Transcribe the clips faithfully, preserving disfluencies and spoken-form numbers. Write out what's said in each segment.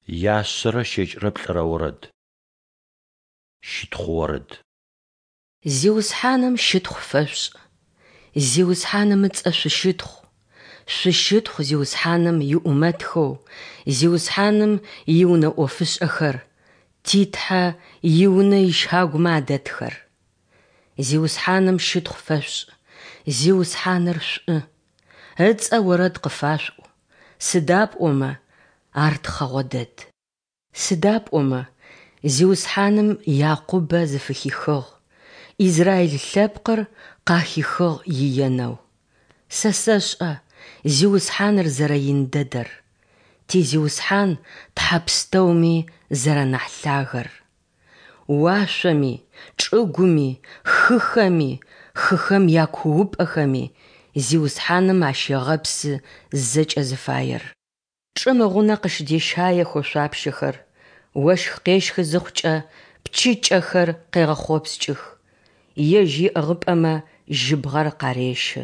Яшъэрэ щэкӏрэ плӏырэ орэд. Щытхъу орэд. Зиусхьаным щытхъу фэшъушӏ, Зиусхьаным ыцӏэ шъущытхъу, шъущытхъу Зиусхьаным иӏумэтхэу, Зиусхьаным иунэ ӏофышӏэхэр, ти Тхьэ и Унэ ищагумэ адэтхэр. Зиусхьаным щытхъу фэшъушӏ, Зиусхьаныр шӏу, Ыцӏэ орэд къыфашъуӏу, сыда пӏомэ Ар тхъэгъо дэд. Сыда пӏомэ Зиусхьаным Якъубэ зыфыхихыгъ, Израил лъэпкъыр къахихыгъ иенэу. Сэ сэшӏэ Зиусхьаныр зэрэин дэдэр, ти Зиусхьан тхьэ пстэуми зэранахь лъагэр. Уашъоми, чӏыгуми, хыхэми, хыхэм якуупӏэхэми Зиусхьаным ащегъэпсы зэкӏэ зыфаер. Чӏым ыгъунэ къыщыдещаех ошъуапщэхэр, ощх къещхы зыхъукӏэ, пчыкӏэхэр къегъэхъопскӏых, Ежь иӏыгъыпӏэмэ жьыбгъэр къарещы.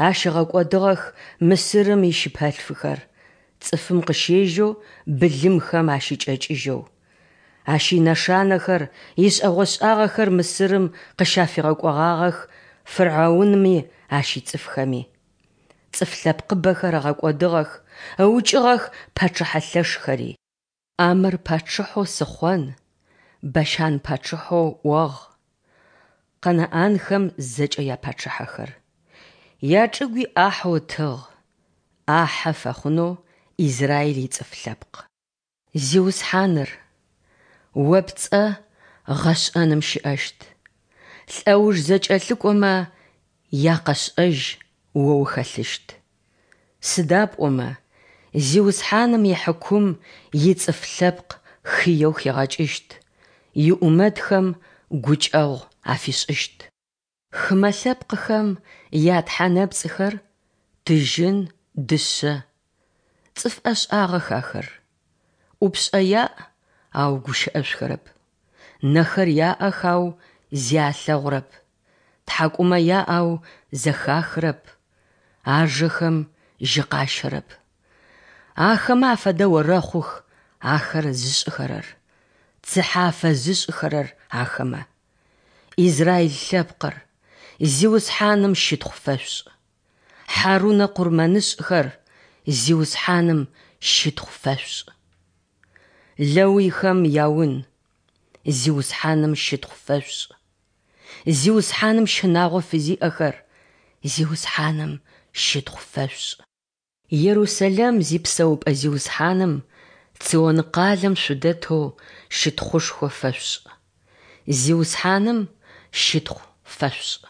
Ащ ыгъэкӏодыгъэх Мысырым ищыпэлъфыхэр, цӏыфым къыщежьэу былымхэм ащыкӏэкӏыжьэу. Ащ инэшанэхэр, ишӏэгъошӏагъэхэр Мысырым къыщафигъэкӏогъагъэх фырӏэунми ащ ицӏыфхэми. Цӏыф лъэпкъыбэхэр ыгъэкӏодыгъэх, ыукӏыгъэх пачъыхьэ лъэшхэри. ӏамэр пачъыхьэу Сыхъон, Бащан пачъыхьэу ӏогъ, Къэнаӏанхэм зэкӏэ япачъыхьэхэр. Ячӏыгуи ӏахьэу ытыгъ, ӏахьэ фэхъунэу Израиль ицӏыф лъэпкъ. Зиусхьаныр, О пцӏэ гъэшӏэным щыӏэщт, лӏэуж зэкӏэлъыкӏомэ якъэшӏэжь О ухэлъыщт. Сыда пӏомэ Зиусхьаным ихьыкум ицӏыф лъэпкъ хыеу хигъэкӏыщт, иӏумэтхэм гукӏэгъу афишӏыщт. Хымэ лъэпкъхэм ятхьэ нэпцӏхэр тыжьын, дышъэ. Цӏыф ӏэшӏагъэх ахэр. Ӏупшӏэ яӏ, ау гущыӏэшъухэрэп. Нэхэр яӏэх, ау зи алъэгъурэп. Тхьакӏумэ яӏ, ау зэхахырэп. Ажэхэм жьы къащэрэп. Ахэмэ афэдэ орэхъух ахэр зышӏыхэрэр, цыхьэ афэзышӏыхэрэр ахэмэ. Израил лъэпкъыр, Зиусхьаным щытхъу фэшъушӏ. Хьарунэ къурмэнышӏхэр, Зиусхьаным щытхъу фэшъушӏ. Лэуйхэм яун, Зиусхьаным щытхъу фэшъушӏ. Зиусхьаным щынагъо фызиӏэхэр, Зиусхьаным щытхъу фэшъушӏ. Ерусэлэм зипсэупӏэ Зиусхьаным Цион къалэм шъудэтэу щытхъушхо фэшъушӏ. Зиусхьаным щытхъу фэшъушӏ.